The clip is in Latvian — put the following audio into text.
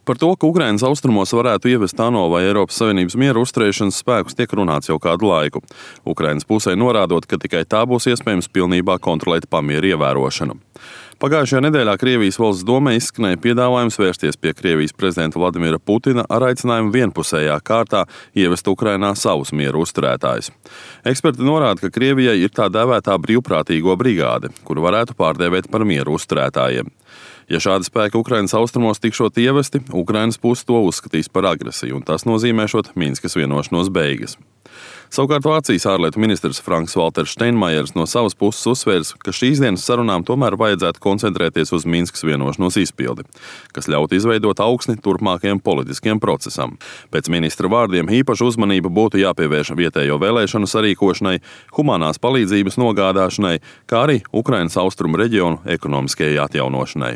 Par to, ka Ukrainas austrumos varētu ievest ANO vai Eiropas Savienības mieru uzturēšanas spēkus, tiek runāts jau kādu laiku. Ukrainas pusē norādot, ka tikai tā būs iespējams pilnībā kontrolēt pamieru ievērošanu. Pagājušajā nedēļā Krievijas valsts domē izskanēja piedāvājums vērsties pie Krievijas prezidenta Vladimira Putina ar aicinājumu vienpusējā kārtā ievest Ukrainā savus mieru uzturētājus. Eksperti norāda, ka Krievijai ir tā dēvētā brīvprātīgo brigāde, kuru varētu pārdēvēt par mieru uzturētājiem. Ja šādi spēki Ukrainas austrumos tikšot ievesti, Ukrainas puse to uzskatīs par agresiju, un tas nozīmēšot Minskas vienošanos beigas. Savukārt Vācijas ārlietu ministrs Franks-Valters Steinmeiers no savas puses uzsvērs, ka šīs dienas sarunām tomēr vajadzētu koncentrēties uz Minskas vienošanos izpildi, kas ļautu izveidot augsni turpmākajam politiskiem procesam. Pēc ministra vārdiem īpaša uzmanība būtu jāpievērš vietējo vēlēšanu sarīkošanai, humanās palīdzības nogādāšanai, kā arī Ukrainas austrumu reģionu ekonomiskajai atjaunošanai.